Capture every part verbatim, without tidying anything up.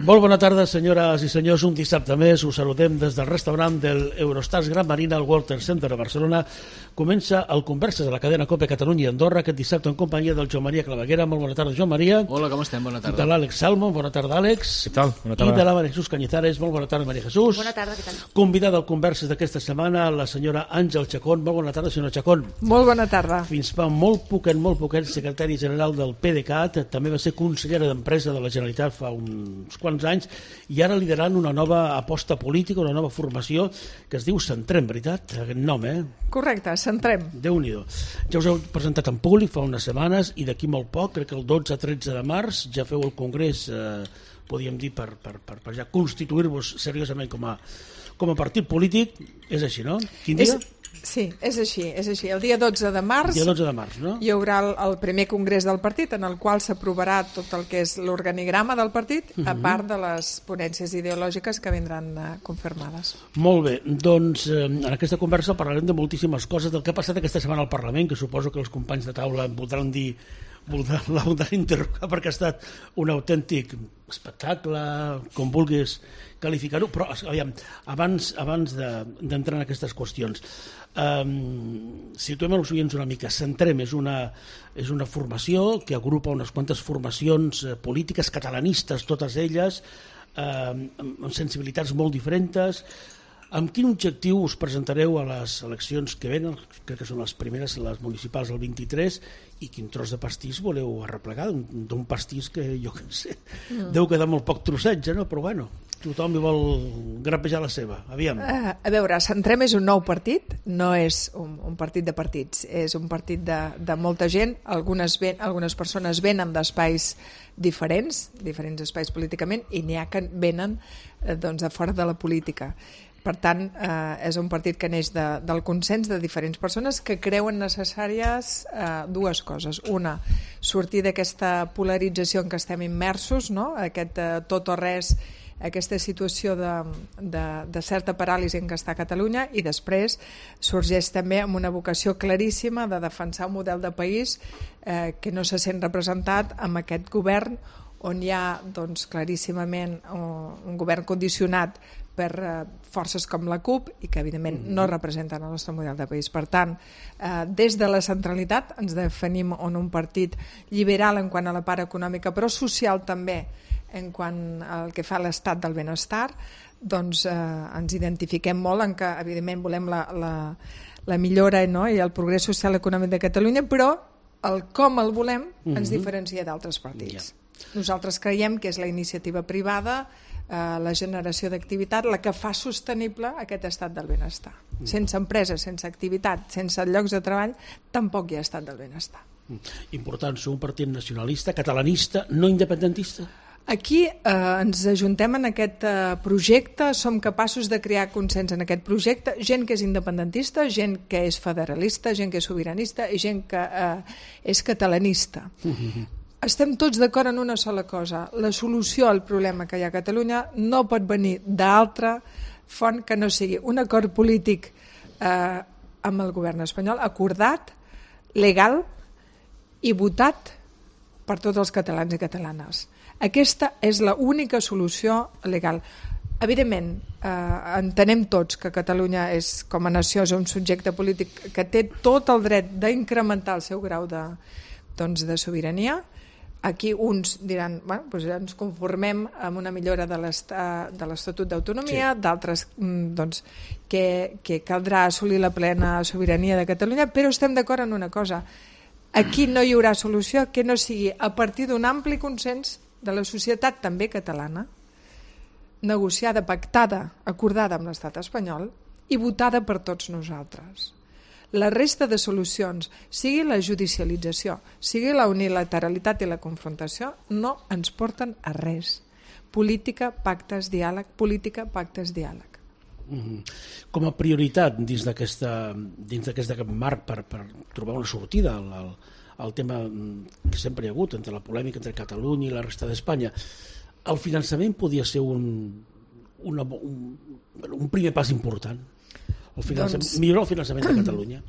Molt bona tarda, senyores i senyors. Un dissabte més us saludem des del restaurant del Eurostars Gran Marina al Walter Center de Barcelona. Comença el Converses de la cadena COPE Catalunya i Andorra aquest dissabte en companyia del Joan Maria Claveguera. Molt bona tarda, Joan Maria. Hola, com estem? Bona tarda. De l'Àlex Salmon. Bona tarda, Àlex. Què tal? Bona tarda. I de la Maria Jesús Cañizares. Molt bona tarda, Maria Jesús. Bona tarda, què tal? Convidada al Converses d'aquesta setmana, la senyora Àngel Chacón. Molt bona tarda, senyora Chacón. Molt bona tarda. Fins fa molt poquet, molt poquet, secretari general del PDeCAT, també va ser consellera d'Empresa de la Generalitat fa uns quants anys, i ara liderant una nova aposta política, una nova formació que es diu Centrem, veritat? Aquest nom, eh? Correcte, Centrem. Déu-n'hi-do. Ja us heu presentat en públic fa unes setmanes i d'aquí molt poc, crec que el dotze a tretze de març, ja feu el congrés, eh, podríem dir, per, per, per, per ja constituir-vos seriosament com a, com a partit polític. És així, no? Quin dia? És... Sí, és així, és així. El dia dotze de març, dia dotze de març, no? Hi haurà el, el primer congrés del partit en el qual s'aprovarà tot el que és l'organigrama del partit, uh-huh. a part de les ponències ideològiques que vindran uh, confirmades. Molt bé, doncs eh, en aquesta conversa parlarem de moltíssimes coses del que ha passat aquesta setmana al Parlament, que suposo que els companys de taula em voldran dir, voldran, la voldran interrogar perquè ha estat un autèntic espectacle, com vulguis qualificar-ho, però aviam, abans, abans de, d'entrar en aquestes qüestions, um, situem els oients una mica. Centrem és una, és una formació que agrupa unes quantes formacions eh, polítiques catalanistes, totes elles, eh, amb sensibilitats molt diferents. Amb quin objectiu us presentareu a les eleccions que venen? Crec que són les primeres, les municipals del vint-i-tres, i quin tros de pastís voleu arreplegar? D'un pastís que, jo què sé, mm. deu quedar molt poc trossetge, no? Però bueno, tothom hi vol grapejar la seva. Aviam. Uh, a veure, Centrem és un nou partit, no és un, un partit de partits, és un partit de, de molta gent. Algunes, ven, algunes persones venen d'espais diferents, diferents espais políticament, i n'hi ha que venen eh, doncs, de fora de la política. Per tant, eh, és un partit que neix de, del consens de diferents persones que creuen necessàries eh, dues coses. Una, sortir d'aquesta polarització en què estem immersos, no? Aquest eh, tot o res, aquesta situació de, de, de certa paràlisi en què està Catalunya, i després sorgeix també amb una vocació claríssima de defensar un model de país eh, que no se sent representat amb aquest govern on hi ha doncs, claríssimament un, un govern condicionat per eh, forces com la CUP i que evidentment mm-hmm. no representen el nostre model de país. Per tant, eh, des de la centralitat ens definim en un partit liberal en quant a la part econòmica, però social també en quant al que fa l'estat del benestar, doncs eh, ens identifiquem molt en que evidentment volem la, la, la millora, no? I el progrés social i econòmic de Catalunya, però el com el volem ens mm-hmm. diferencia d'altres partits. Yeah. Nosaltres creiem que és la iniciativa privada, eh, la generació d'activitat, la que fa sostenible aquest estat del benestar. Mm. Sense empresa, sense activitat, sense llocs de treball, tampoc hi ha estat del benestar. Important, sou un partit nacionalista, catalanista, no independentista? Aquí eh, ens ajuntem en aquest eh, projecte, som capaços de crear consens en aquest projecte, gent que és independentista, gent que és federalista, gent que és sobiranista i gent que eh, és catalanista. Mm-hmm. Estem tots d'acord en una sola cosa. La solució al problema que hi ha a Catalunya no pot venir d'altra font que no sigui un acord polític eh, amb el govern espanyol, acordat, legal i votat per tots els catalans i catalanes. Aquesta és l'única solució legal. Evidentment, eh, entenem tots que Catalunya és, com a nació, és un subjecte polític que té tot el dret d'incrementar el seu grau de, doncs, de sobirania. Aquí uns diran, bueno, doncs ens conformem amb una millora de l'Estatut d'Autonomia, sí. D'altres doncs, que, que caldrà assolir la plena sobirania de Catalunya, però estem d'acord en una cosa. Aquí no hi haurà solució que no sigui a partir d'un ampli consens de la societat també catalana, negociada, pactada, acordada amb l'estat espanyol i votada per tots nosaltres. La resta de solucions, sigui la judicialització, sigui la unilateralitat i la confrontació, no ens porten a res. Política, pactes, diàleg, política, pactes, diàleg. Mm-hmm. Com a prioritat dins d'aquesta dins d'aquest marc per, per trobar una sortida al, al, al tema que sempre hi ha hagut entre la polèmica entre Catalunya i la resta d'Espanya, el finançament podia ser un, una, un, un primer pas important? El doncs, millorar el finançament de Catalunya.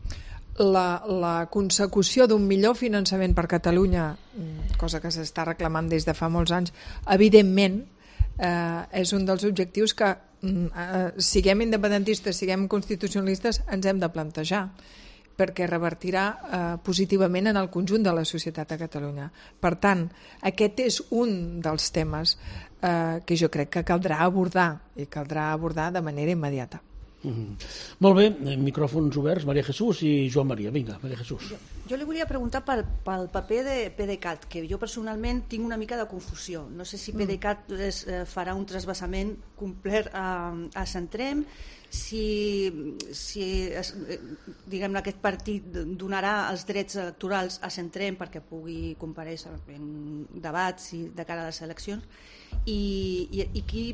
La, la consecució d'un millor finançament per Catalunya, cosa que s'està reclamant des de fa molts anys, evidentment eh, és un dels objectius que eh, siguem independentistes, siguem constitucionalistes, ens hem de plantejar, perquè revertirà eh, positivament en el conjunt de la societat a Catalunya. Per tant, aquest és un dels temes eh, que jo crec que caldrà abordar, i caldrà abordar de manera immediata. Mm-hmm. Molt bé, micròfons oberts, Maria Jesús i Joan Maria. Vinga, Maria Jesús. Jo, jo li volia preguntar pel, pel paper de PDeCAT, que jo personalment tinc una mica de confusió. No sé si PDeCAT es, eh, farà un trasbassament complet a, a Centrem, si, si es, diguem aquest partit donarà els drets electorals a Centrem perquè pugui comparèixer en debats i de cara a les eleccions, i, i, i qui...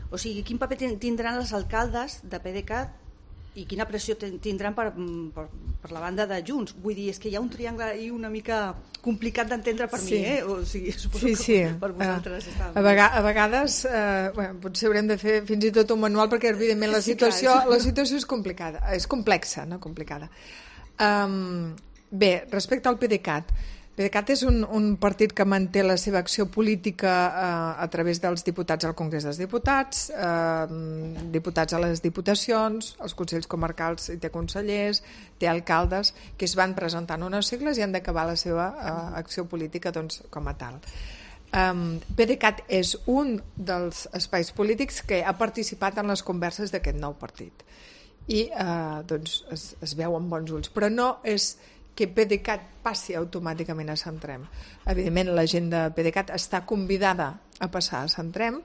O sigui, quin paper tindran els alcaldes de PDeCAT i quina pressió tindran per, per, per la banda de Junts? Vull dir, és que hi ha un triangle ahí una mica complicat d'entendre per sí. mi, eh? O sigui, suposo sí, sí. que per vosaltres uh, està... A, vega a vegades, eh, bueno, potser haurem de fer fins i tot un manual perquè, evidentment, la situació, sí, clar, la situació és complicada, és complexa, no complicada. Um, bé, respecte al PDeCAT, PDeCAT és un, un partit que manté la seva acció política eh, a través dels diputats al Congrés dels Diputats, eh, diputats a les diputacions, als consells comarcals i té consellers, té alcaldes, que es van presentant unes sigles i han d'acabar la seva eh, acció política doncs, com a tal. Um, PDeCAT és un dels espais polítics que ha participat en les converses d'aquest nou partit i eh, doncs es, es veu amb bons ulls, però no és que PDeCAT passi automàticament a Centrem. Evidentment, la gent de PDeCAT està convidada a passar a Centrem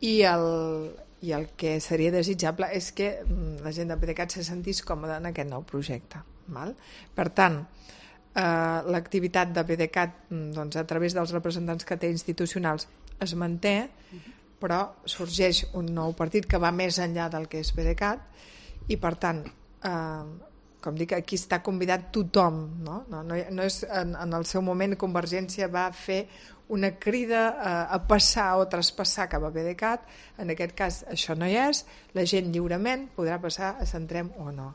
i el, i el que seria desitjable és que la gent de PDeCAT se sentís còmoda en aquest nou projecte. Val? Per tant, eh, l'activitat de PDeCAT doncs, a través dels representants que té institucionals es manté, però sorgeix un nou partit que va més enllà del que és PDeCAT i, per tant, eh, com dic, aquí està convidat tothom, no? No, no, no és, en, en el seu moment Convergència va fer una crida a, a passar o traspassar cap a PDeCAT, en aquest cas això no hi és, la gent lliurement podrà passar a Centrem o no.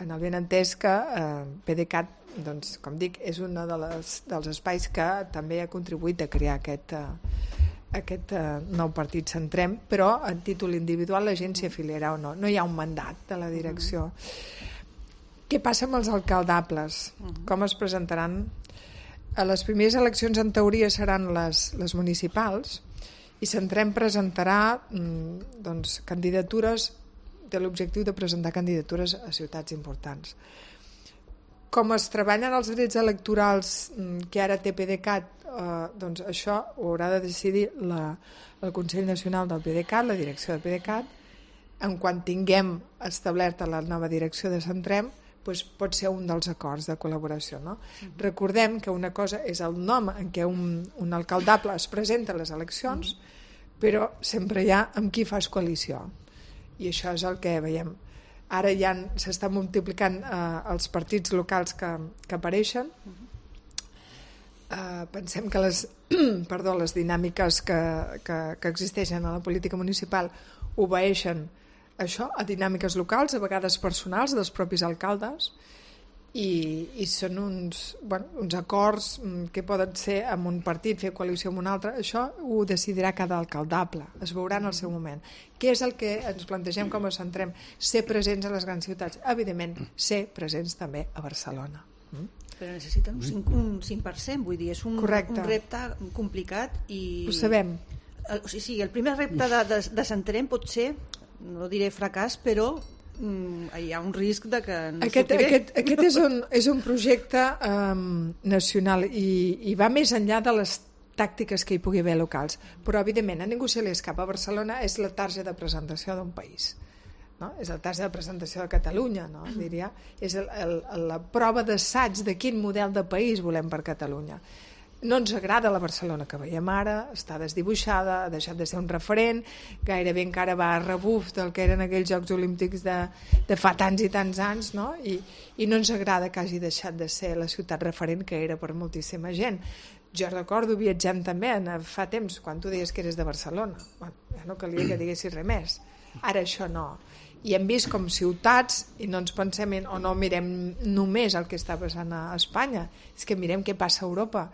En el ben entès que eh, PDeCAT, doncs, com dic, és un de les, dels espais que també ha contribuït a crear aquest, eh, aquest eh, nou partit Centrem, però a títol individual la gent s'hi afiliarà o no. No hi ha un mandat de la direcció. Mm. Què passa amb els alcaldables? Com es presentaran? A les primeres eleccions, en teoria, seran les, les municipals i Centrem presentarà doncs, candidatures, té l'objectiu de presentar candidatures a ciutats importants. Com es treballen els drets electorals que ara té PDeCAT, eh, doncs això ho haurà de decidir la, el Consell Nacional del PDeCAT, la direcció de PDeCAT, en quan tinguem establerta la nova direcció de Centrem, doncs pot ser un dels acords de col·laboració. No? Uh-huh. Recordem que una cosa és el nom en què un, un alcaldable es presenta a les eleccions, uh-huh. però sempre hi ha amb qui fas coalició. I això és el que veiem. Ara ja s'estan multiplicant eh, els partits locals que, que apareixen. Uh-huh. eh, pensem que les, perdó, les dinàmiques que, que, que existeixen a la política municipal obeeixen això, a dinàmiques locals, a vegades personals dels propis alcaldes i, i són uns, bueno, uns acords que poden ser amb un partit, fer coalició amb un altre. Això ho decidirà cada alcaldable, es veurà en el seu moment. Què és el que ens plantegem com a Centrem? Ser presents a les grans ciutats, evidentment ser presents també a Barcelona. Mm? Però necessiten un cinc, un cinc per cent, vull dir, és un, un repte complicat i... Ho sabem. El, o sigui, el primer repte de, de, de Centrem pot ser, no diré fracàs, però mm, hi ha un risc de que no aquest, aquest, aquest és un, és un projecte um, nacional i, i va més enllà de les tàctiques que hi pugui haver locals, però evidentment a ningú se li escapa. Barcelona és la targeta de presentació d'un país, no? És la targeta de presentació de Catalunya, no? Diria. És el, el, la prova d'assaig de quin model de país volem per Catalunya. No ens agrada la Barcelona que veiem ara, està desdibuixada, ha deixat de ser un referent, gairebé encara va a rebuf del que eren aquells Jocs Olímpics de, de fa tants i tants anys, no? I, i no ens agrada que hagi deixat de ser la ciutat referent que era per moltíssima gent. Jo recordo, viatgem també fa temps, quan tu deies que eres de Barcelona. Bueno, ja no calia que diguessis res més. Ara això no. I hem vist com ciutats, i no ens pensem en, o no mirem només el que està passant a Espanya, és que mirem què passa a Europa.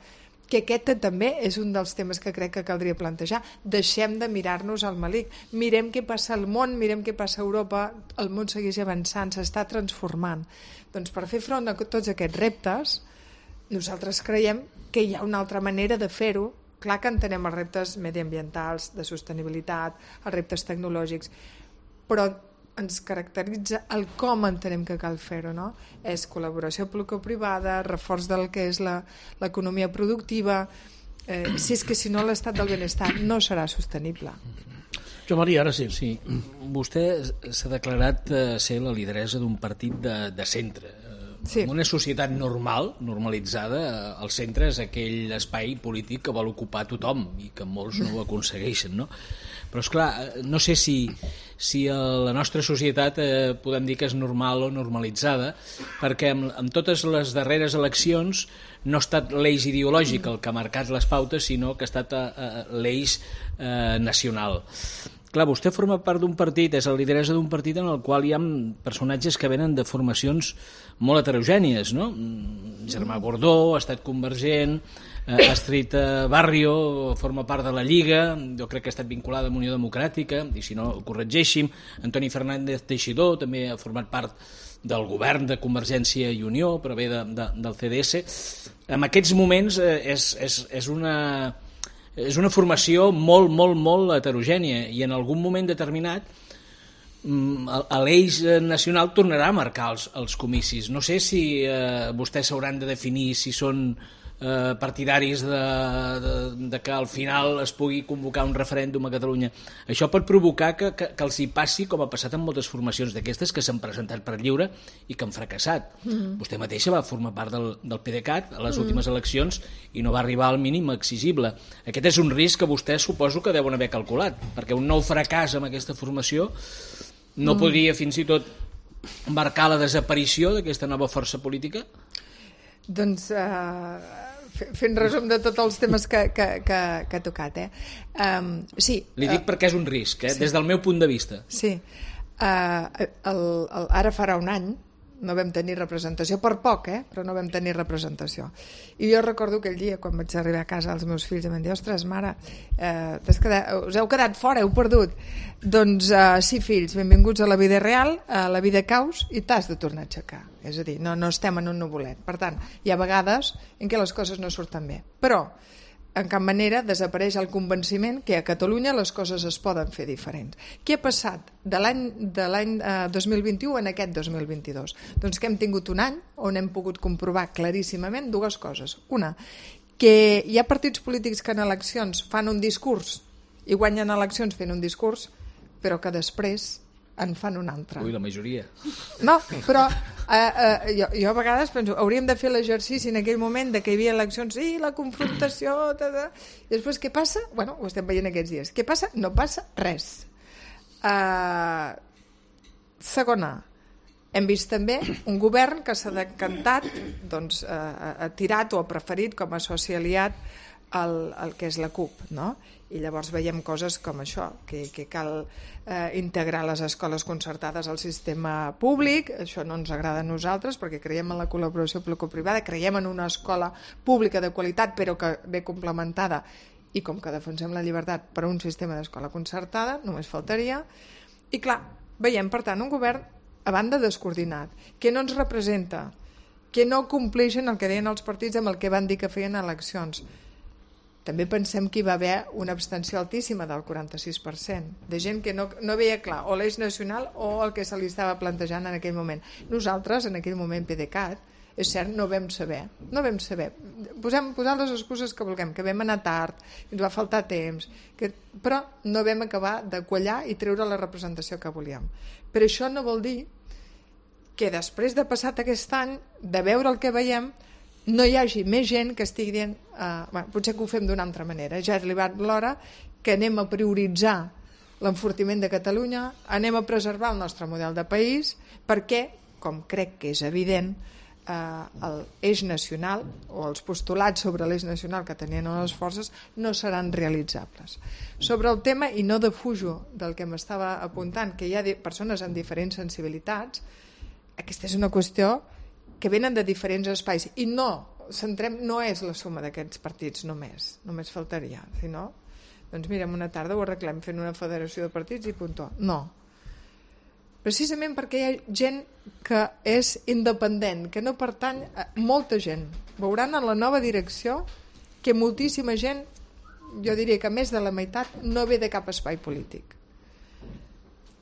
que aquest també és un dels temes que crec que caldria plantejar. Deixem de mirar-nos al malic, mirem què passa al món, mirem què passa a Europa, el món segueix avançant, s'està transformant. Doncs per fer front a tots aquests reptes, nosaltres creiem que hi ha una altra manera de fer-ho. Clar que entenem els reptes mediambientals, de sostenibilitat, els reptes tecnològics, però ens caracteritza el com entenem que cal fer-ho, no? És col·laboració público-privada, reforç del que és l'economia productiva, eh, si és que si no l'estat del benestar no serà sostenible. Jo, Maria, ara sí. Sí, vostè s'ha declarat eh, ser la lideressa d'un partit de, de centre. Sí. En una societat normal, normalitzada, el centre és aquell espai polític que vol ocupar tothom i que molts no ho aconsegueixen, no? Però, esclar, no sé si, si a la nostra societat eh, podem dir que és normal o normalitzada, perquè amb, amb totes les darreres eleccions no ha estat l'eix ideològic el que ha marcat les pautes, sinó que ha estat eh, l'eix eh, nacional. Clar, vostè forma part d'un partit, és el lideressa d'un partit en el qual hi ha personatges que venen de formacions molt heterogènies, no? Germà Gordó ha estat convergent, eh, Astrid Barrio forma part de la Lliga, jo crec que ha estat vinculada amb Unió Democràtica, i si no, corregeixi'm, Antoni Fernández Teixidor també ha format part del govern de Convergència i Unió, però ve de, de, del C D S. En aquests moments eh, és, és, és una... és una formació molt, molt, molt heterogènia i en algun moment determinat l'eix nacional tornarà a marcar els, els comicis. No sé si eh, vostès s'hauran de definir si són eh, partidaris de, de, de que al final es pugui convocar un referèndum a Catalunya. Això pot provocar que, que, que els hi passi com ha passat en moltes formacions d'aquestes que s'han presentat per lliure i que han fracassat. Mm-hmm. Vostè mateixa va formar part del, del PDeCAT a les mm-hmm. últimes eleccions i no va arribar al mínim exigible. Aquest és un risc que vostès suposo que deuen haver calculat, perquè un nou fracàs amb aquesta formació no mm. podria fins i tot marcar la desaparició d'aquesta nova força política? Doncs... Uh... fent resum de tots els temes que, que, que, que ha tocat. Eh? Um, sí, Li dic uh, perquè és un risc, eh? Sí. Des del meu punt de vista. Sí. Uh, el, el, ara farà un any no vam tenir representació, per poc, eh? Però no vam tenir representació. I jo recordo aquell dia, quan vaig arribar a casa, els meus fills em van dir, ostres, mare, eh, quedat, us heu quedat fora, heu perdut. Doncs eh, sí, fills, benvinguts a la vida real, a la vida caus, i t'has de tornar a aixecar. És a dir, no, no estem en un nuvolet. Per tant, hi ha vegades en què les coses no surten bé. Però, en cap manera desapareix el convenciment que a Catalunya les coses es poden fer diferents. Què ha passat de l'any de l'any eh, dos mil vint-i-u en aquest dos mil vint-i-dos? Doncs que hem tingut un any on hem pogut comprovar claríssimament dues coses. Una, que hi ha partits polítics que en eleccions fan un discurs i guanyen eleccions fent un discurs, però que després en fan un altre. Ui, la majoria. No, però eh, eh, jo, jo a vegades penso, hauríem de fer l'exercici en aquell moment de que hi havia eleccions, sí, la confrontació, tada. I després què passa? Bueno, ho estem veient aquests dies. Què passa? No passa res. Uh, segona, hem vist també un govern que s'ha decantat, doncs, uh, ha tirat o ha preferit com a soci aliat el, el que és la CUP, no? I llavors veiem coses com això, que, que cal eh, integrar les escoles concertades al sistema públic. Això no ens agrada a nosaltres perquè creiem en la col·laboració público-privada, creiem en una escola pública de qualitat però que ve complementada, i com que defensem la llibertat per a un sistema d'escola concertada, només faltaria. I clar, veiem per tant un govern a banda descoordinat, que no ens representa, que no compleixen el que deien els partits amb el que van dir que feien eleccions. També pensem que hi va haver una abstenció altíssima del quaranta-sis per cent, de gent que no, no veia clar o l'eix nacional o el que se li estava plantejant en aquell moment. Nosaltres, en aquell moment, PDeCAT, és cert, no vam saber. No vam saber. Posem, posem les excuses que vulguem, que vam anar tard, que ens va faltar temps, que, però no vam acabar de quallar i treure la representació que volíem. Però això no vol dir que després de passat aquest any, de veure el que veiem, no hi hagi més gent que estigui dient uh, bueno, potser que ho fem d'una altra manera, ja és arribat l'hora que anem a prioritzar l'enfortiment de Catalunya, anem a preservar el nostre model de país, perquè, com crec que és evident, uh, l'eix nacional o els postulats sobre l'eix nacional que tenien les forces no seran realitzables. Sobre el tema, i no defujo del que m'estava apuntant, que hi ha persones amb diferents sensibilitats, aquesta és una qüestió que venen de diferents espais i no Centrem no és la suma d'aquests partits només, només faltaria, si no, doncs mira, una tarda ho arreglem fent una federació de partits i puntó. No. Precisament perquè hi ha gent que és independent, que no pertany a molta gent. Veuran en la nova direcció que moltíssima gent, jo diria que més de la meitat, no ve de cap espai polític.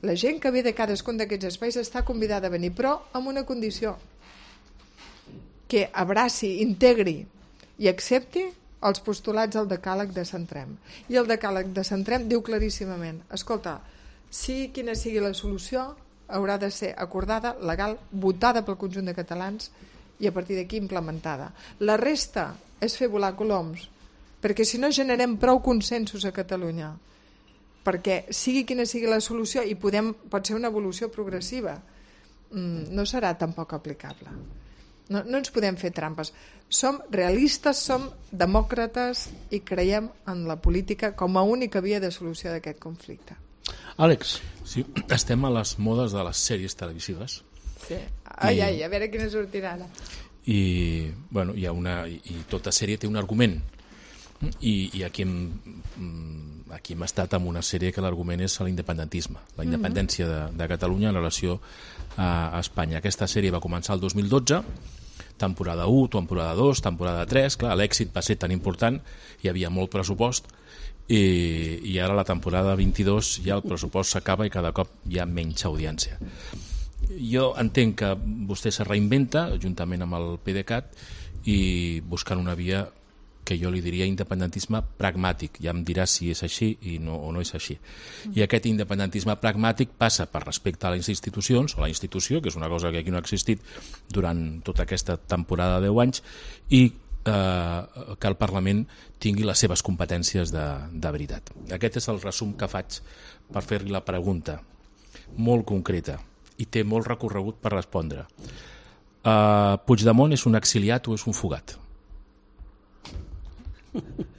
La gent que ve de cadascun d'aquests espais està convidada a venir, però amb una condició, que abraci, integri i accepti els postulats del decàleg de Centrem. I el decàleg de Centrem diu claríssimament, escolta, sigui quina sigui la solució, haurà de ser acordada, legal, votada pel conjunt de catalans i a partir d'aquí implementada. La resta és fer volar coloms, perquè si no generem prou consensos a Catalunya, perquè sigui quina sigui la solució i podem, pot ser una evolució progressiva, no serà tampoc aplicable. No, no ens podem fer trampes. Som realistes, som demòcrates i creiem en la política com a única via de solució d'aquest conflicte. Àlex. Sí, estem a les modes de les sèries televisives. Sí. Ai, ai, a veure quina sortirà ara. I, bueno, hi ha una, i tota sèrie té un argument. I, i aquí, hem, aquí hem estat amb una sèrie que l'argument és l'independentisme, la independència de, de Catalunya en relació a, a Espanya. Aquesta sèrie va començar el dos mil dotze, temporada u, temporada dos, temporada tres, clar, l'èxit va ser tan important, hi havia molt pressupost, i, i ara la temporada vint-i-dos ja el pressupost s'acaba i cada cop hi ha menys audiència. Jo entenc que vostè se reinventa juntament amb el PDeCAT i buscant una via que jo li diria independentisme pragmàtic, ja em dirà si és així i no, o no és així. I aquest independentisme pragmàtic passa per respecte a les institucions, o la institució, que és una cosa que aquí no ha existit durant tota aquesta temporada de deu anys, i eh, que el Parlament tingui les seves competències de, de veritat. Aquest és el resum que faig per fer-li la pregunta, molt concreta, i té molt recorregut per respondre. Uh, Puigdemont és un exiliat o és un fugat?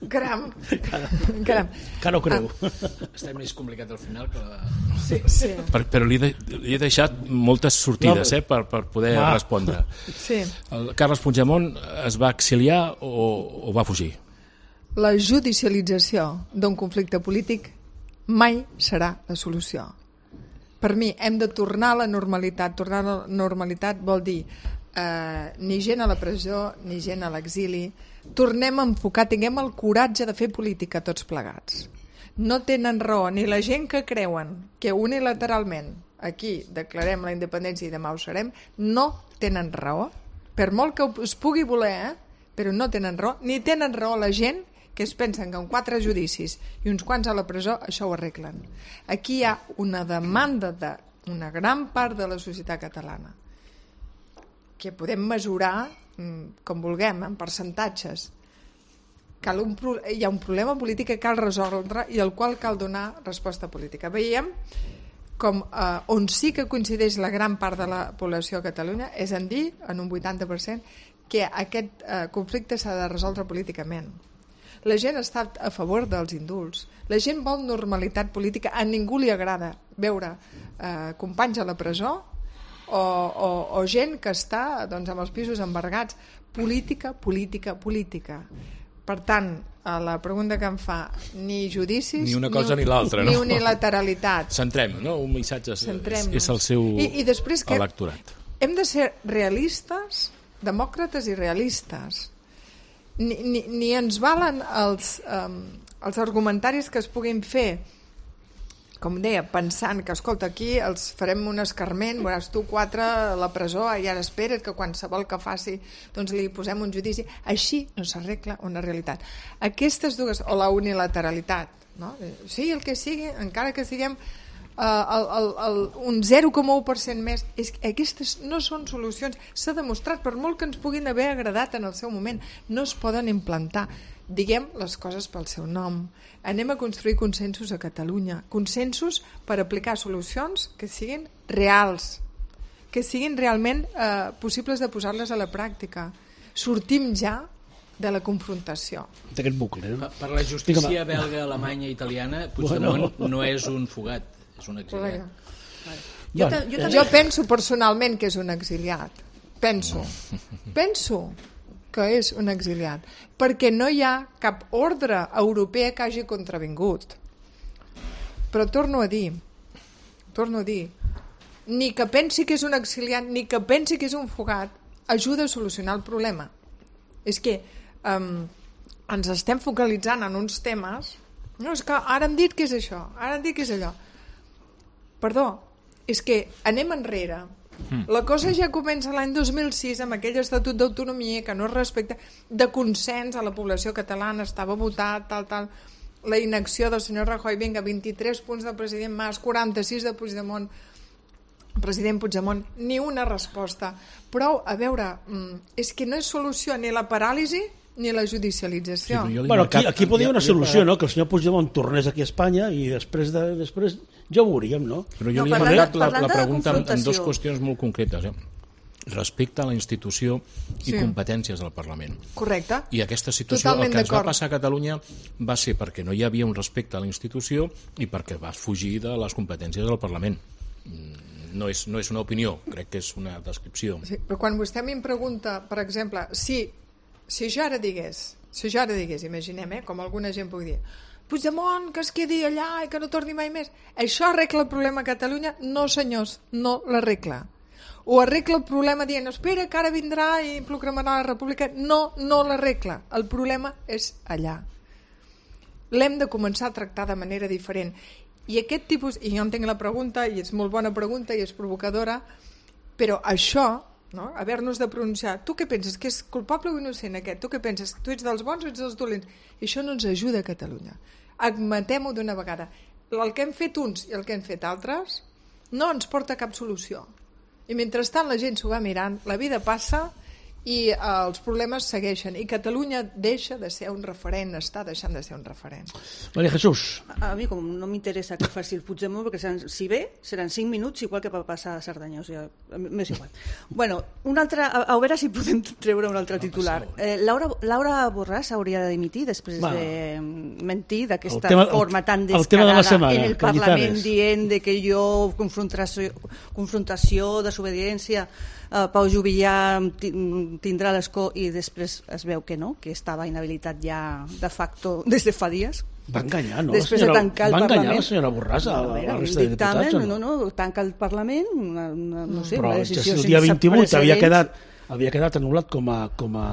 Caram. Caram. Que no creu. Ah. Està més complicat al final que la... Sí, sí. Per, però li, de, li he deixat moltes sortides no, eh, per, per poder ah. respondre. Sí. El Carles Puigdemont es va exiliar o, o va fugir? La judicialització d'un conflicte polític mai serà la solució. Per mi hem de tornar a la normalitat. Tornar a la normalitat vol dir eh, ni gent a la presó, ni gent a l'exili. Tornem a enfocar, tinguem el coratge de fer política tots plegats. No tenen raó ni la gent que creuen que unilateralment aquí declarem la independència i demà ho serem, no tenen raó, per molt que es pugui voler, eh? Però no tenen raó, ni tenen raó la gent que es pensen que amb quatre judicis i uns quants a la presó això ho arreglen. Aquí hi ha una demanda d'una gran part de la societat catalana que podem mesurar com vulguem, en percentatges. Cal un, hi ha un problema polític que cal resoldre i al qual cal donar resposta política. Veiem com eh, on sí que coincideix la gran part de la població a Catalunya és en dir, en un vuitanta per cent, que aquest eh, conflicte s'ha de resoldre políticament. La gent està a favor dels indults. La gent vol normalitat política. A ningú li agrada veure eh, companys a la presó o, o, o gent que està doncs, amb els pisos embargats. Política, política, política. Per tant, a la pregunta que em fa, ni judicis... Ni una cosa ni, ni l'altra, no? Ni no? unilateralitat. Centrem, no? Un missatge és, és el seu I, i després que electorat. Hem de ser realistes, demòcrates i realistes. Ni, ni, ni ens valen els, um, els argumentaris que es puguin fer, com deia, pensant que, escolta, aquí els farem un escarment, veuràs tu quatre a la presó i ara espera't que qualsevol que faci doncs li posem un judici. Així no s'arregla una realitat. Aquestes dues, o la unilateralitat, no? Sí, el que sigui, encara que siguem uh, el, el, el, un zero coma u per cent més, és, aquestes no són solucions. S'ha demostrat, per molt que ens puguin haver agradat en el seu moment, no es poden implantar. Diguem les coses pel seu nom. Anem a construir consensos a Catalunya, consensos per aplicar solucions que siguin reals, que siguin realment eh, possibles de posar-les a la pràctica. Sortim ja de la confrontació. D'aquest bucle. No? Per la justícia belga, alemanya i italiana, Puigdemont bueno. no és un fugat, és un exiliat. Jo, bueno, jo, jo penso personalment que és un exiliat. Penso. Penso. que és un exiliat, perquè no hi ha cap ordre europea que hagi contravingut. Però torno a dir, torno a dir, ni que pensi que és un exiliat, ni que pensi que és un fugat, ajuda a solucionar el problema. És que um, ens estem focalitzant en uns temes, no, és que ara han dit que és això, ara han dit que és allò. Perdó, és que anem enrere. La cosa ja comença l'any dos mil sis amb aquell Estatut d'Autonomia que no es respecta, de consens a la població catalana, estava votat, tal, tal, la inacció del senyor Rajoy, vinga, vint-i-tres punts del president Mas, quaranta-sis de Puigdemont, president Puigdemont, ni una resposta. Però, a veure, és que no és solució ni la paràlisi ni la judicialització. Sí, bueno, aquí, aquí podria haver una solució, no? Que el senyor Puigdemont tornés aquí a Espanya i després de, després ja ho veuríem, no? Però jo No, li he parlant de- marcat la, parlant la de pregunta en, en confrontació. dues qüestions molt concretes. Eh? Respecte a la institució i Sí. competències del Parlament. Correcte? I aquesta situació, Totalment el que ens va d'acord. passar a Catalunya va ser perquè no hi havia un respecte a la institució i perquè vas fugir de les competències del Parlament. Mm, No és, no és una opinió, crec que és una descripció. Sí, però quan vostè a mi em pregunta, per exemple, si, si jo ara digués, si jo ara digués, imaginem, eh, com alguna gent pugui dir, Puigdemont, que es quedi allà i que no torni mai més, això arregla el problema a Catalunya? No, senyors, no l'arregla. O arregla el problema dient, espera, que ara vindrà i proclamarà la república? No, no l'arregla. El problema és allà. L'hem de començar a tractar de manera diferent. I aquest tipus, i jo entenc la pregunta, i és molt bona pregunta i és provocadora, però això, no? Haver-nos de pronunciar, tu què penses, que és culpable o innocent aquest? Tu què penses, tu ets dels bons o ets dels dolents? I això no ens ajuda a Catalunya. Admetem-ho d'una vegada. El que hem fet uns i el que hem fet altres no ens porta a cap solució. I mentrestant la gent s'ho va mirant, la vida passa i eh, els problemes segueixen. I Catalunya deixa de ser un referent, està deixant de ser un referent. Maria Jesús. A mi, com no m'interessa que faci el Puigdemont, perquè seran, si ve, seran cinc minuts, igual que va passar a Cerdanya, o sigui, m'és igual. Bueno, un altre, a, a veure si podem treure un altre titular. Eh, Laura, Laura Borràs hauria de dimitir després Va. de mentir d'aquesta El tema- el- forma tan el tema de la descarada setmana, en el Parlament, Cañizares. dient de que jo, confrontació, confrontació desobediència, Uh, Pau Juvillà ti- tindrà l'escó i després es veu que no, que estava inhabilitat ja de facto des de fa dies. Va enganyar, no? Després la senyora, de tancar el va enganyar Parlament. la senyora Borràs a, A a veure, la un resta de dictamen, diputats, o no, no, tanca el Parlament, una, una, no sé, Però una ja decisió si el dia sense vint-i-vuit havia precedents. quedat, havia quedat anul·lat com a, com a,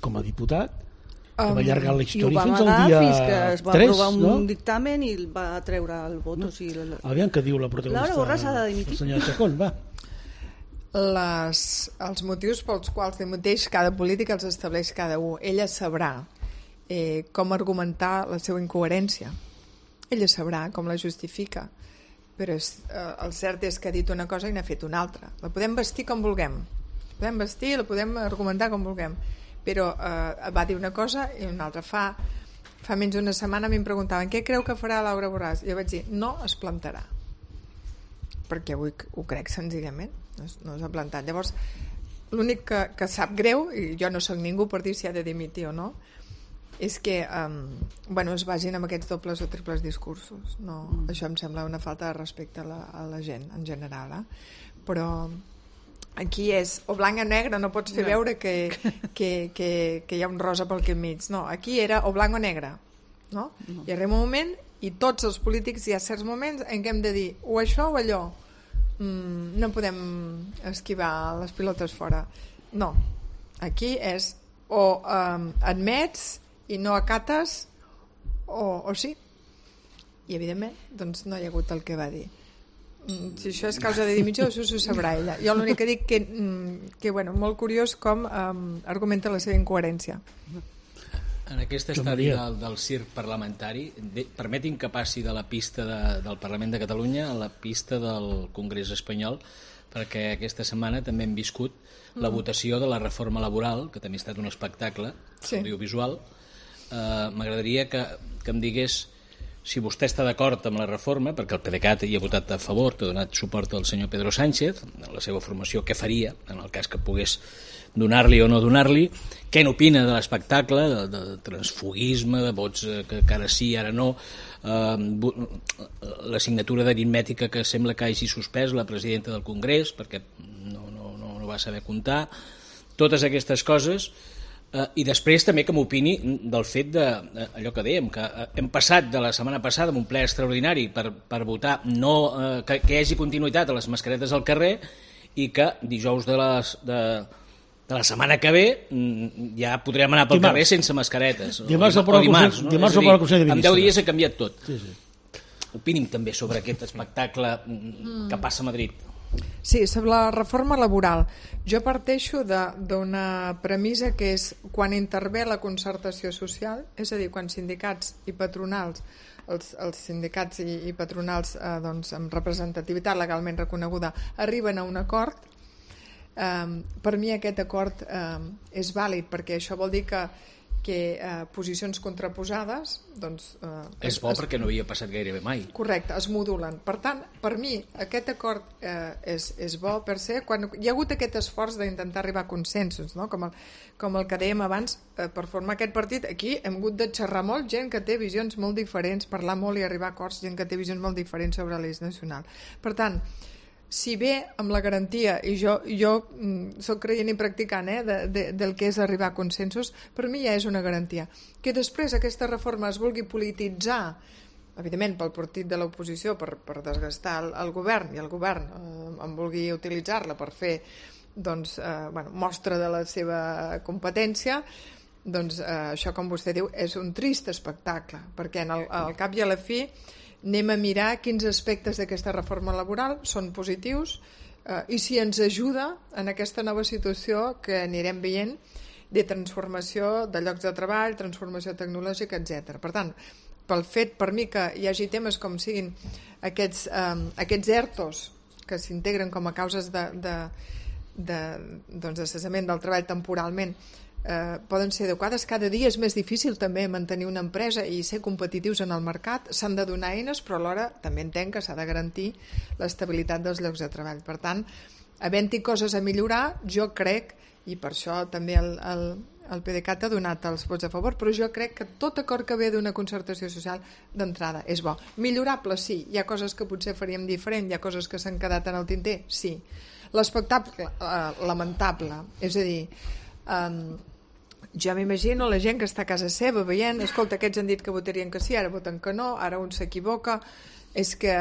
com a diputat, que Um, va allargar la I ho història va fins al amagar dia fins que es va tres, aprovar un no? dictamen i el va treure el vot. O sigui, el... Aviam què diu la protagonista. Laura Borràs ha de dimitir. La senyora Chacón, va. Les, els motius pels quals dimiteix cada polític els estableix cada un. Ella sabrà eh, com argumentar la seva incoherència. Ella sabrà com la justifica. Però és, eh, el cert és que ha dit una cosa i n'ha fet una altra. La podem vestir com vulguem. La podem vestir i la podem argumentar com vulguem. Però eh, va dir una cosa i una altra. Fa, fa menys d'una setmana a mi em preguntaven què creu que farà Laura Borràs? I jo vaig dir, no es plantarà. Perquè avui ho crec senzillament, no, no s'ha plantat. Llavors, l'únic que, que sap greu, i jo no sóc ningú per dir si ha de dimitir o no, és que um, bueno, es vagin amb aquests dobles o triples discursos. No, mm. Això em sembla una falta de respecte a la, a la gent en general. Eh? Però aquí és o blanc o negre, no pots fer no. veure que, que, que, que hi ha un rosa pel que enmig. No, aquí era o blanc o negre. No? No. I arriba un moment i tots els polítics hi ha certs moments en què hem de dir o això o allò. Mm, no podem esquivar les pilotes fora. No, aquí és o um, admets i no acates o, o sí. I evidentment doncs no hi ha hagut el que va dir. Mm, si això és causa de dimissió, això s'ho sabrà ella. Jo l'únic que dic que, mm, que bueno, molt curiós com um, argumenta la seva incoherència. En aquest estadi del, del circ parlamentari, de, permetin que passi de la pista de, del Parlament de Catalunya a la pista del Congrés espanyol, perquè aquesta setmana també hem viscut mm. la votació de la reforma laboral, que també ha estat un espectacle sí. audiovisual. Eh, M'agradaria que, que em digués si vostè està d'acord amb la reforma, perquè el PDeCAT hi ha votat a favor, que ha donat suport al senyor Pedro Sánchez, en la seva formació, què faria en el cas que pogués donar-li o no donar-li, què n'opina de l'espectacle, de, de transfugisme, de vots que, que ara sí, ara no, eh, la signatura d'aritmètica que sembla que hagi suspès la presidenta del Congrés, perquè no, no, no, no va saber comptar, totes aquestes coses Uh, I després també que m'opini del fet de uh, allò que dèiem, que uh, hem passat de la setmana passada amb un ple extraordinari per, per votar no, uh, que, que hi hagi continuïtat a les mascaretes al carrer i que dijous de, les, de, de la setmana que ve ja podrem anar pel dimarts. Carrer sense mascaretes. Dimarts o, o dimarts, no? Dimarts o per al Consell de Ministres. En deu dies ha canviat tot. Sí, sí. Opini'm també sobre aquest espectacle mm. que passa a Madrid. Sí, sobre la reforma laboral. Jo parteixo d'una premissa que és quan intervé la concertació social, és a dir, quan sindicats i patronals, els, els sindicats i, i patronals eh, doncs, amb representativitat legalment reconeguda arriben a un acord, eh, per mi aquest acord eh, és vàlid, perquè això vol dir que que eh, posicions contraposades doncs, eh, és bo es, perquè no havia passat gairebé mai. Correcte, es modulen. Per tant, per mi aquest acord eh, és, és bo per ser quan hi ha hagut aquest esforç d'intentar arribar a consensos, no? com, el, com el que dèiem abans, eh, per formar aquest partit aquí hem hagut de xerrar molt, gent que té visions molt diferents, parlar molt i arribar a acords, gent que té visions molt diferents sobre l'eix nacional. Per tant, si bé amb la garantia, i jo, jo mm, soc creient i practicant eh, de, de, del que és arribar a consensos, per mi ja és una garantia. Que després aquesta reforma es vulgui polititzar, evidentment pel partit de l'oposició, per, per desgastar el, el govern, i el govern eh, en vulgui utilitzar-la per fer doncs, eh, bueno, mostra de la seva competència, doncs eh, això, com vostè diu, és un trist espectacle, perquè en el, al cap i a la fi anem a mirar quins aspectes d'aquesta reforma laboral són positius eh, i si ens ajuda en aquesta nova situació que anirem veient de transformació de llocs de treball, transformació tecnològica, etcètera. Per tant, pel fet per mi que hi hagi temes com siguin aquests, eh, aquests ERTOs que s'integren com a causes de, de, de, doncs, de cessament del treball temporalment, Eh, poden ser adequades. Cada dia és més difícil també mantenir una empresa i ser competitius en el mercat, s'han de donar eines, però alhora també entenc que s'ha de garantir l'estabilitat dels llocs de treball. Per tant, havent-hi coses a millorar, jo crec, i per això també el, el, el PDeCAT ha donat els vots a favor, però jo crec que tot acord que ve d'una concertació social d'entrada és bo. Millorable, sí. Hi ha coses que potser faríem diferent, hi ha coses que s'han quedat en el tinter, sí. L'espectacle, eh, lamentable, és a dir, eh, ja m'imagino la gent que està a casa seva veient, escolta, aquests han dit que votarien que sí, ara voten que no, ara un s'equivoca. És que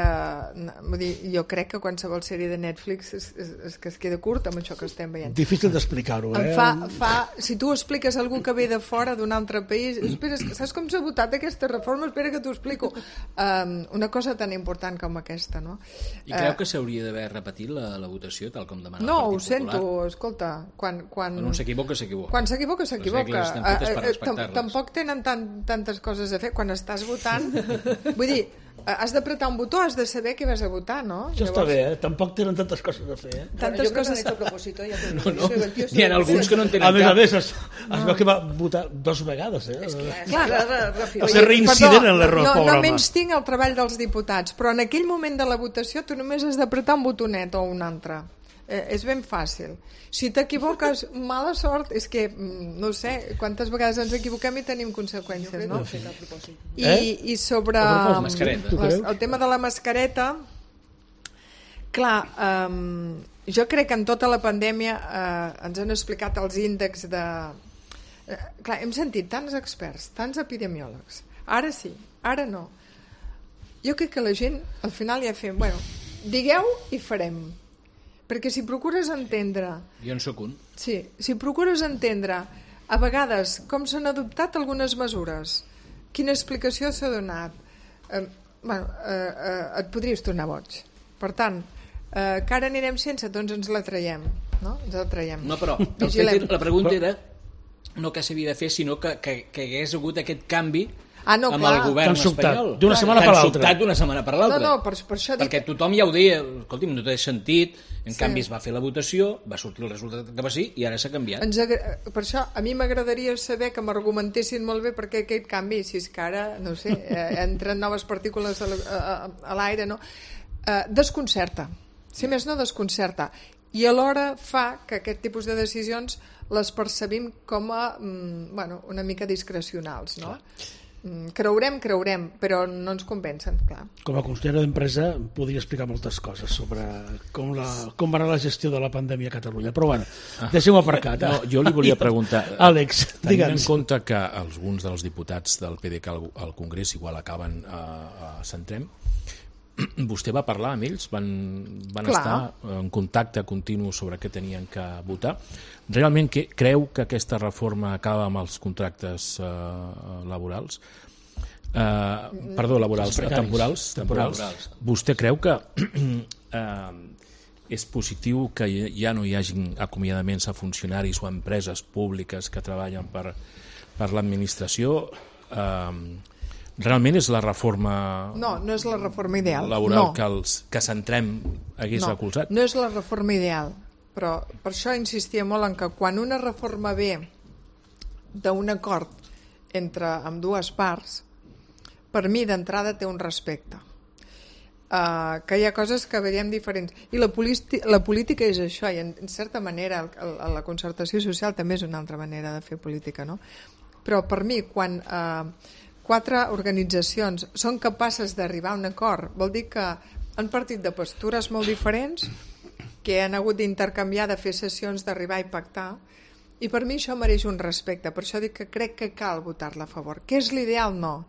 vull dir, jo crec que qualsevol sèrie de Netflix és, és, és que es queda curt amb això que estem veient. Difícil d'explicar-ho, eh? Fa, fa, si tu expliques a algú que ve de fora d'un altre país, espera, saps com s'ha votat aquesta reforma? Espera que t'ho explico. Um, una cosa tan important com aquesta, no? I creu uh, que s'hauria d'haver repetit la, la votació tal com demana no, el Partit Popular? No, ho sento, escolta, quan... Quan, quan un s'equivoca, s'equivoca. Quan s'equivoca, s'equivoca. Uh, tampoc tenen tant, tantes coses a fer. Quan estàs votant, vull dir, has d'apretar un botó, has de saber què vas a votar, no? Això està bé, eh? Tampoc tenen tantes coses a fer, eh? Tantes coses a propòsit, ja no, no. Hi ha alguns que no en tenen cap. A més cap. a més, es, es veu que va votar dos vegades, eh? És clar, clar. Va ser reincident en l'error, no, pobre no home. menys tinc el treball dels diputats, però en aquell moment de la votació tu només has d'apretar un botonet o un altre. Eh, és ben fàcil. Si t'equivoques, mala sort, és que, no sé, quantes vegades ens equivoquem i tenim conseqüències, no? I, eh? i sobre les, el tema de la mascareta, clar, um, jo crec que en tota la pandèmia uh, ens han explicat els índexs de... Uh, clar, hem sentit tants experts, tants epidemiòlegs, ara sí, ara no. Jo crec que la gent, al final ja fem, bueno, digueu i farem. Perquè si procures entendre... Jo en soc un. Sí, si procures entendre a vegades com s'han adoptat algunes mesures, quina explicació s'ha donat, eh, bueno, eh, eh, et podries tornar boig. Per tant, eh, que ara anirem sense, doncs ens la traiem. No? Ens la traiem. No, però el fet, la pregunta era no que s'havia de fer, sinó que, que, que hagués hagut aquest canvi Ah, no, amb clar. el govern espanyol. D'una setmana per l'altra. Tan sobtat d'una setmana per l'altra. No, no, per, per això Perquè dic... tothom ja ho deia, escolti'm, no té sentit, en Sí. canvi es va fer la votació, va sortir el resultat que va ser i ara s'ha canviat. Ens agra... Per això a mi m'agradaria saber que m'argumentessin molt bé per què aquest canvi, si és que ara, no sé, eh, entren noves partícules a, a, a l'aire, no? Eh, desconcerta. Si més no, desconcerta. I alhora fa que aquest tipus de decisions les percebim com a, mm, bueno, una mica discrecionals, no? Clar. creurem, creurem, però no ens convencen, clar. Com a consellera d'Empresa podria explicar moltes coses sobre com, la, com va anar la gestió de la pandèmia a Catalunya, però bueno, deixem-ho aparcat. No, jo li volia preguntar, Àlex, tenint digue'ns. en compte que alguns dels diputats del P D C al, al Congrés igual acaben a, a Centrem, vostè va parlar amb ells? Van, van estar en contacte continu sobre què tenien que votar? Realment que, creu que aquesta reforma acaba amb els contractes eh, laborals? Eh, perdó, laborals, temporals, temporals. temporals. Vostè creu que eh, és positiu que ja no hi hagin acomiadaments a funcionaris o a empreses públiques que treballen per, per l'administració? Eh, Realment és la reforma no, no és la reforma ideal. laboral no. que, els, que Centrem hagués no, recolzat? No és la reforma ideal, però per això insistia molt en que quan una reforma ve d'un acord entre amb dues parts, per mi d'entrada té un respecte. Uh, que hi ha coses que veiem diferents. I la, la política és això, i en, en certa manera el, el, la concertació social també és una altra manera de fer política, no? Però per mi, quan... Uh, quatre organitzacions són capaces d'arribar a un acord, vol dir que han partit de postures molt diferents, que han hagut d'intercanviar, de fer sessions, d'arribar i pactar, i per mi això mereix un respecte. Per això dic que crec que cal votar-la a favor. Què és l'ideal? No.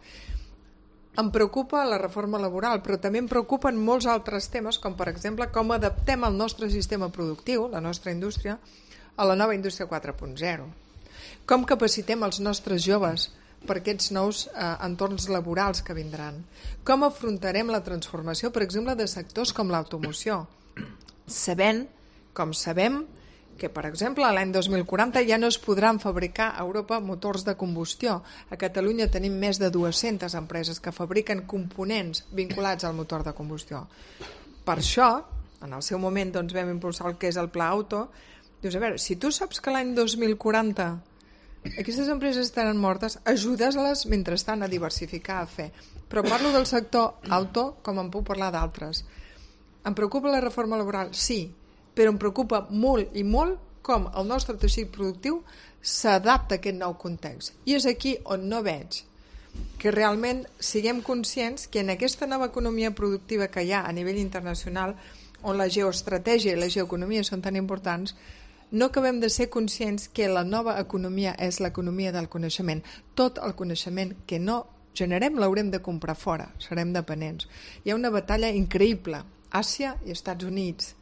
Em preocupa la reforma laboral, però també em preocupen molts altres temes, com per exemple com adaptem el nostre sistema productiu, la nostra indústria, a la nova indústria quatre punt zero. Com capacitem els nostres joves per aquests nous eh, entorns laborals que vindran. Com afrontarem la transformació, per exemple, de sectors com l'automoció, sabent, com sabem, que, per exemple, l'any dos mil quaranta ja no es podran fabricar a Europa motors de combustió. A Catalunya tenim més de dues-centes empreses que fabriquen components vinculats al motor de combustió. Per això, en el seu moment doncs, vam impulsar el que és el Pla Auto. Dius, a veure, si tu saps que l'any dos mil quaranta aquestes empreses estaran mortes, ajudes-les mentrestant a diversificar, a fer. Però parlo del sector auto com en puc parlar d'altres. Em preocupa la reforma laboral? Sí, però em preocupa molt i molt com el nostre teixit productiu s'adapta a aquest nou context. I és aquí on no veig que realment siguem conscients que en aquesta nova economia productiva que hi ha a nivell internacional, on la geoestratègia i la geoeconomia són tan importants, no acabem de ser conscients que la nova economia és l'economia del coneixement. Tot el coneixement que no generem l'haurem de comprar fora, serem dependents. Hi ha una batalla increïble, Àsia i Estats Units,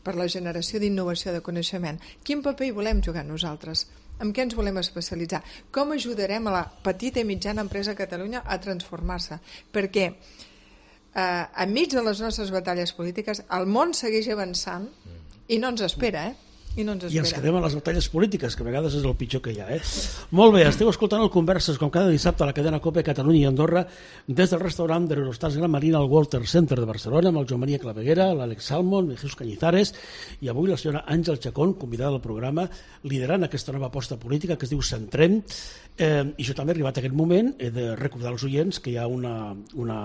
per la generació d'innovació de coneixement. Quin paper hi volem jugar nosaltres? En què ens volem especialitzar? Com ajudarem a la petita i mitjana empresa a Catalunya a transformar-se? Perquè eh, enmig de les nostres batalles polítiques el món segueix avançant i no ens espera, eh? I, no ens I ens quedem a les batalles polítiques, que a vegades és el pitjor que hi ha. Eh? Molt bé, esteu escoltant el Converses, com cada dissabte a la cadena COPE Catalunya i Andorra, des del restaurant de l'Eurostars Gran Marina al Walter Center de Barcelona, amb el Joan Maria Claveguera, l'Àlex Salmon, el Jesús Cañizares, i avui la senyora Àngel Chacón, convidada al programa, liderant aquesta nova aposta política que es diu Centrem. Eh, I jo també, arribat a aquest moment, he de recordar als oients que hi ha una, una,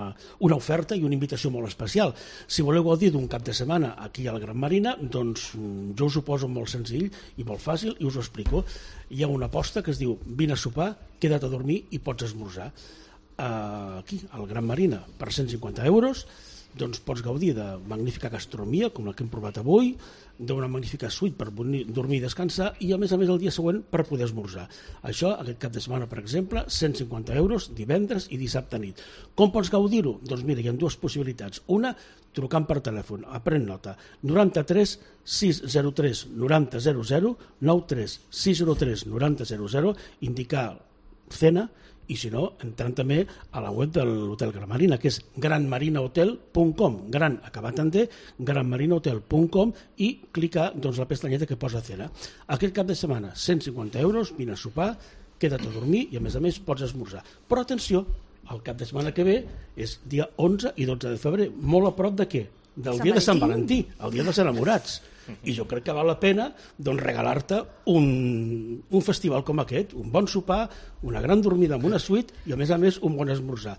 una oferta i una invitació molt especial. Si voleu gaudir d'un cap de setmana aquí a la Gran Marina, doncs jo us ho poso molt senzill i molt fàcil i us ho explico. Hi ha una aposta que es diu vine a sopar, queda't a dormir i pots esmorzar. Uh, aquí, al Gran Marina, per cent cinquanta euros, doncs pots gaudir de magnífica gastronomia, com la que hem provat avui, d'una magnífica suite per dormir i descansar, i a més a més el dia següent per poder esmorzar. Això, aquest cap de setmana, per exemple, cent cinquanta euros divendres i dissabte nit. Com pots gaudir-ho? Doncs mira, hi ha dues possibilitats. Una, trucant per telèfon, pren nota, noranta-tres sis zero tres noranta zero zero, noranta-tres sis zero tres noranta zero zero, indicar cena, i si no, entrant també a la web de l'Hotel Gran Marina, que és gran marina hotel punt com, gran acabat en D, gran marina hotel punt com, i clicar doncs, la pestanyeta que posa cena. Aquest cap de setmana, cent cinquanta euros, vine a sopar, queda't a dormir i a més a més pots esmorzar. Però atenció, el cap de setmana que ve és dia onze i dotze de febrer, molt a prop de què? Del Sant dia de Sant Valentí. Valentí, el dia dels enamorats. I jo crec que val la pena doncs, regalar-te un, un festival com aquest, un bon sopar, una gran dormida amb una suite i a més a més un bon esmorzar.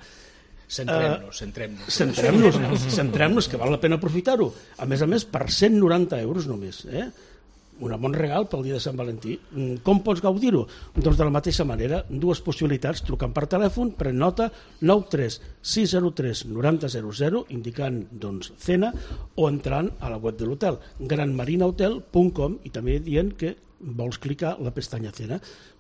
Centrem-nos, uh, centrem-nos. Centrem-nos, centrem-nos, que val la pena aprofitar-ho. A més a més, per cent noranta euros només. Eh? un bon regal pel dia de Sant Valentí. Com pots gaudir-ho? Doncs de la mateixa manera, dues possibilitats, trucant per telèfon, pren nota, nou tres sis zero tres nou zero zero zero, indicant doncs, cena, o entrant a la web de l'hotel, gran marina hotel punt com, i també dient que vols clicar la pestanya cena.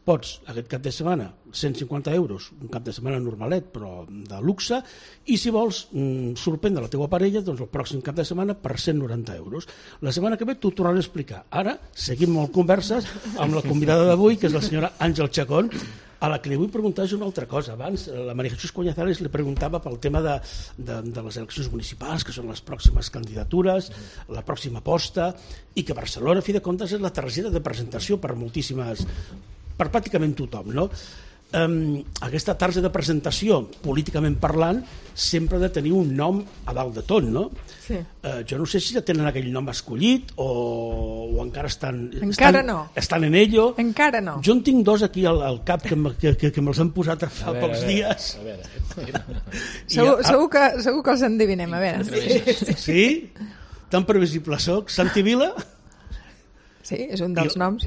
Pots, aquest cap de setmana, cent cinquanta euros, un cap de setmana normalet, però de luxe, i si vols mm, sorprendre la teua parella, doncs el pròxim cap de setmana per cent noranta euros. La setmana que ve t'ho tornaré a explicar. Ara seguim molt converses amb la convidada d'avui, que és la senyora Àngel Chacón, a la que li vull preguntar és una altra cosa. Abans, la María Jesús Coñazales li preguntava pel tema de, de, de les eleccions municipals, que són les pròximes candidatures, la pròxima aposta, i que Barcelona, a fi de comptes, és la targeta de presentació per moltíssimes, per pràcticament tothom, no? Um, aquesta targeta de presentació, políticament parlant, sempre ha de tenir un nom a dalt de tot, no? Sí. Uh, jo no sé si ja tenen aquell nom escollit o, o encara estan... Encara estan, no. Estan en ello. Encara no. Jo en tinc dos aquí al, al cap que, que, que, que me'ls han posat fa veure, pocs a veure, dies. A veure. Segur, I, segur, que, segur que els endevinem, a veure. Sí? Sí? Tan previsible soc. Santi Vila? Sí, és un dels I, noms.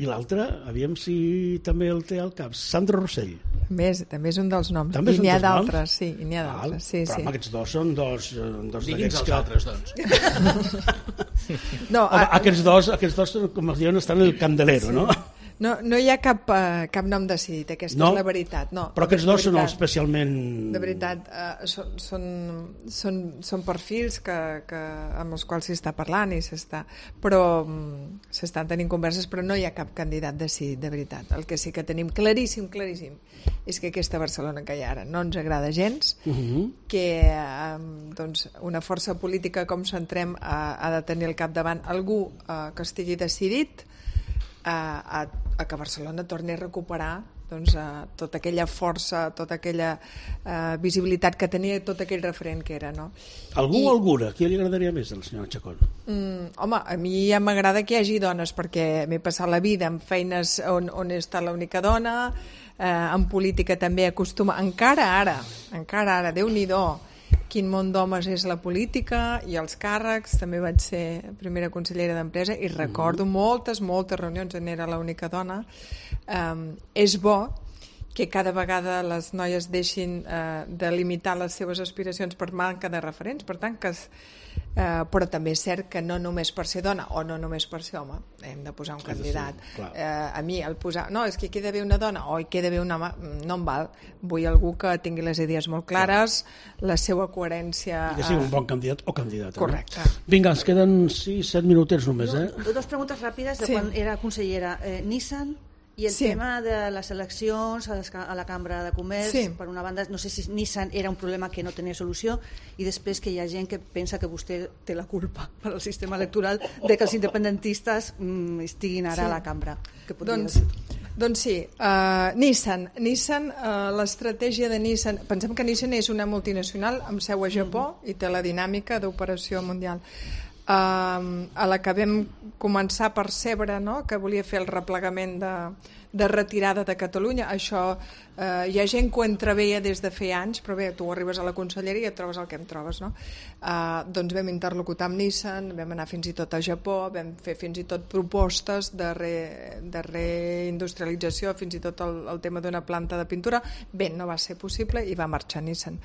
I l'altre, aviam si també el té al cap, Sandro Rossell. Més, també és un dels noms. També I és un n'hi ha dels noms? d'altres, sí, i n'hi ha d'altres. Sí, però sí. aquests dos són dos, dos Digui'ns els que... altres, doncs. No, Home, a, aquests dos, aquests dos, com es diuen, estan en el candelero, sí. No? no, no hi ha cap, uh, cap nom decidit, aquesta No? és la veritat. No, Però aquests dos són veritat, especialment... De veritat, uh, són, són, són, són perfils que, que, amb els quals s'està parlant i s'està... Però um, s'estan tenint converses, però no hi ha cap candidat decidit, de veritat. El que sí que tenim claríssim, claríssim, és que aquesta Barcelona que hi ha ara no ens agrada gens, Uh -huh. que um, doncs, una força política com Centrem uh, ha de tenir al capdavant algú uh, que estigui decidit uh, a, a que Barcelona torni a recuperar doncs, uh, tota aquella força, tota aquella uh, visibilitat que tenia, tot aquell referent que era, no? Algú I, o alguna? Qui li agradaria més a la senyora Chacón? Mm, home, a mi ja m'agrada que hi hagi dones, perquè m'he passat la vida en feines on, on he estat l'única dona, eh, en política també acostuma, encara ara, encara ara, Déu-n'hi-do, quin món d'homes és la política i els càrrecs, també vaig ser primera consellera d'Empresa i recordo mm. moltes, moltes reunions on era l'única dona. Um, és bo que cada vegada les noies deixin eh, de limitar les seves aspiracions per manca de referents, per tant que es, eh, però també és cert que no només per ser dona o no només per ser home hem de posar un candidat. Eh, a mi el posar, no, és que hi queda bé una dona o hi queda bé un home, no em val. Vull algú que tingui les idees molt clares, clar. La seva coherència... I que sigui un bon candidat o candidata. Correcte. No? Vinga, ens queden sis set minutets només, eh? No, dos preguntes ràpides de Sí. quan era consellera. Eh, Nissan i el Sí. tema de les eleccions a, les, a la Cambra de Comerç, Sí. per una banda, no sé si Nissan era un problema que no tenia solució, i després que hi ha gent que pensa que vostè té la culpa per al sistema electoral de que els independentistes mm, estiguin ara Sí. a la Cambra. Què podria Doncs, dir? doncs sí, uh, Nissan, Nissan uh, l'estratègia de Nissan, pensem que Nissan és una multinacional amb seu a Japó i té la dinàmica d'operació mundial. Uh, a la que vam començar a percebre, no?, que volia fer el replegament de, de retirada de Catalunya. Això uh, hi ha gent que ho entreveia des de fer anys, però bé, tu arribes a la conselleria i et trobes el que em trobes, no? Uh, doncs vam interlocutar amb Nissan, vam anar fins i tot a Japó, vam fer fins i tot propostes de, re, de reindustrialització, fins i tot el, el tema d'una planta de pintura. Bé, no va ser possible i va marxar Nissan.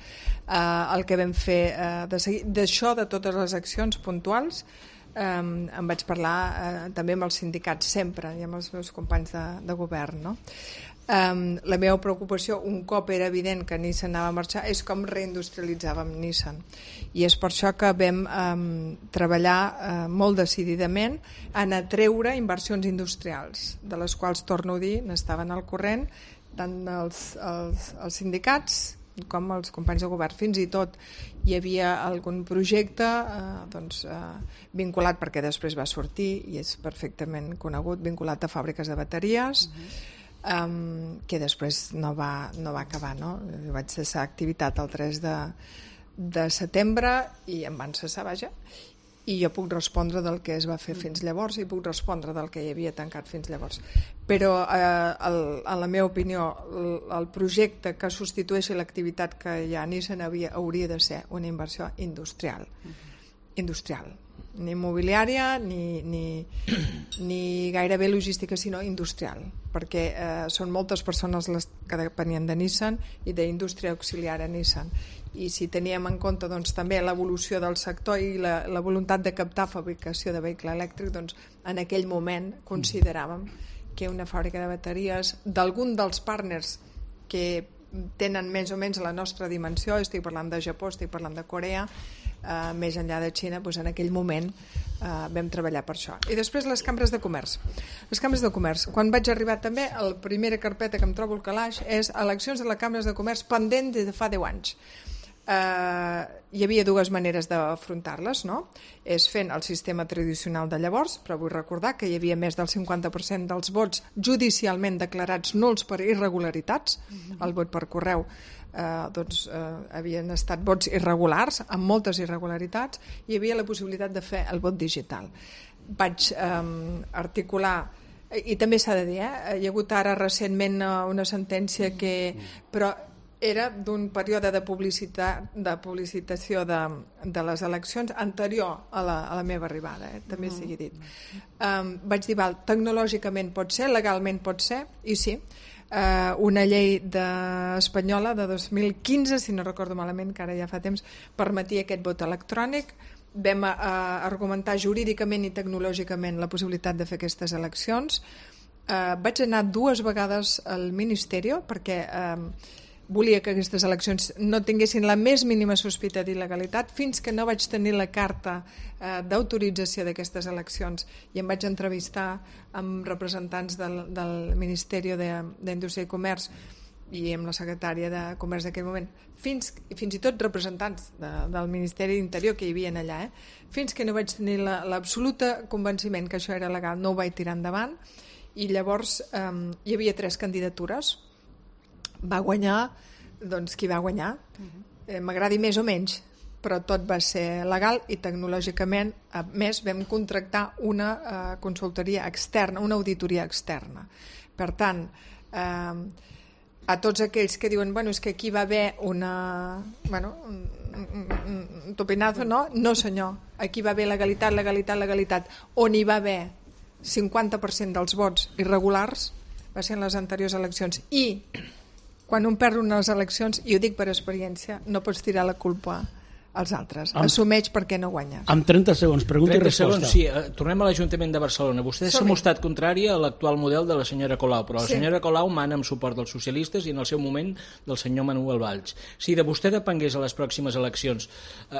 Uh, el que vam fer uh, de seguir, d'això, de totes les accions puntuals, Um, em vaig parlar uh, també amb els sindicats sempre i amb els meus companys de, de govern, no? Um, la meva preocupació, un cop era evident que Nissan anava a marxar, és com reindustrialitzàvem Nissan, i és per això que vam um, treballar uh, molt decididament en atreure inversions industrials, de les quals, torno a dir, n'estaven al corrent tant els, els, els sindicats com els companys de govern. Fins i tot hi havia algun projecte eh, doncs, eh, vinculat, perquè després va sortir i és perfectament conegut, vinculat a fàbriques de bateries, uh-huh. um, que després no va, no va acabar, no? Jo vaig cessar activitat el tres de, de setembre i em van cessar, vaja, i jo puc respondre del que es va fer fins llavors i puc respondre del que hi havia tancat fins llavors. Però, eh, el, en la meva opinió, el, el projecte que substitueixi l'activitat que hi ha a Nissan havia, hauria de ser una inversió industrial. Industrial. ni immobiliària ni, ni, ni gairebé logística, sinó industrial, perquè eh, són moltes persones les que depenien de Nissan i d'indústria auxiliar a Nissan. I si teníem en compte doncs, també l'evolució del sector i la, la voluntat de captar fabricació de vehicle elèctric, doncs, en aquell moment consideràvem que una fàbrica de bateries d'algun dels partners que tenen més o menys la nostra dimensió, estic parlant de Japó, estic parlant de Corea, Uh, més enllà de Xina, doncs en aquell moment uh, vam treballar per això. I després les cambres de comerç. Les cambres de comerç. Quan vaig arribar també, la primera carpeta que em trobo al calaix és eleccions de les cambres de comerç pendent de fa deu anys. Uh, hi havia dues maneres d'afrontar-les, no? És fent el sistema tradicional de llavors, però vull recordar que hi havia més del cinquanta per cent dels vots judicialment declarats nuls per irregularitats. Mm-hmm. El vot per correu eh, doncs, eh, havien estat vots irregulars, amb moltes irregularitats, i hi havia la possibilitat de fer el vot digital. Vaig eh, articular, i també s'ha de dir, eh, hi ha hagut ara recentment una sentència que... però era d'un període de, publicitat, de publicitació de, de les eleccions anterior a la, a la meva arribada, eh? També mm. sigui dit. Um, vaig dir, val, tecnològicament pot ser, legalment pot ser, i sí, uh, una llei de, espanyola de dos mil quinze, si no recordo malament, que ara ja fa temps, permetia aquest vot electrònic. Vam uh, argumentar jurídicament i tecnològicament la possibilitat de fer aquestes eleccions. Uh, vaig anar dues vegades al Ministeri perquè... Uh, volia que aquestes eleccions no tinguessin la més mínima sospita d'il·legalitat fins que no vaig tenir la carta eh, d'autorització d'aquestes eleccions i em vaig entrevistar amb representants del, del Ministeri d'Indústria i Comerç i amb la secretària de Comerç d'aquell moment, fins, fins i tot representants de, del Ministeri d'Interior que hi havia allà, eh? Fins que no vaig tenir l'absoluta la, convenciment que això era legal, no ho vaig tirar endavant, i llavors eh, hi havia tres candidatures. Va guanyar, doncs qui va guanyar, eh, m'agradi més o menys, però tot va ser legal i tecnològicament, a més, vam contractar una eh, consultoria externa, una auditoria externa. Per tant, eh, a tots aquells que diuen, bueno, és que aquí va haver una... Bueno, un, un, un topinazo, no? No, senyor. Aquí va haver legalitat, legalitat, legalitat. On hi va haver cinquanta per cent dels vots irregulars va ser en les anteriors eleccions. I quan un perd unes eleccions, i ho dic per experiència, no pots tirar la culpa als altres. Amb, Assumeix perquè no guanyes. Amb trenta segons, pregunta trenta i resposta. Segons, sí. Tornem a l'Ajuntament de Barcelona. Vostès s'han mostrat contrari a l'actual model de la senyora Colau, però la sí. senyora Colau mana amb suport dels socialistes i en el seu moment del senyor Manuel Valls. Si de vostè depengués a les pròximes eleccions,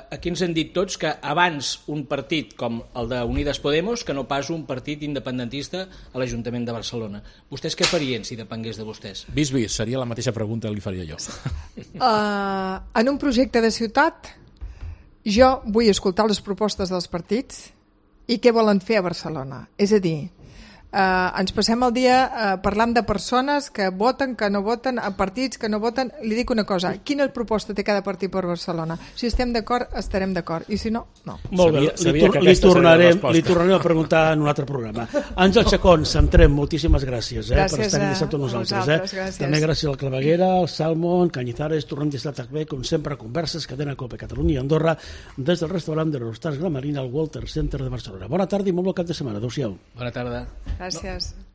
aquí ens han dit tots que abans un partit com el de Unides Podemos que no pas un partit independentista a l'Ajuntament de Barcelona. Vostès què farien si depengués de vostès? Vist, vist, seria la mateixa pregunta que li faria jo. Uh, en un projecte de ciutat jo vull escoltar les propostes dels partits i què volen fer a Barcelona. És a dir, eh, ens passem el dia eh, parlant de persones que voten, que no voten, a partits que no voten. Li dic una cosa, quina proposta té cada partit per Barcelona? Si estem d'acord, estarem d'acord, i si no, no. Molt bé, sabia, sabia li, li, tornarem, li tornarem a preguntar en un altre programa. Àngel Chacón, Centrem, moltíssimes gràcies, eh, gràcies per estar aquí dissabte amb nosaltres. Eh? Gràcies. També gràcies al Claveguera, al Salmon, Cañizares, tornem des de bé, com sempre, converses, cadena Cope, Catalunya i Andorra, des del restaurant de l'Hostals Gramarina al Walter Center de Barcelona. Bona tarda i molt bon cap de setmana. Adéu-siau. Bona tarda. Gràcies. No.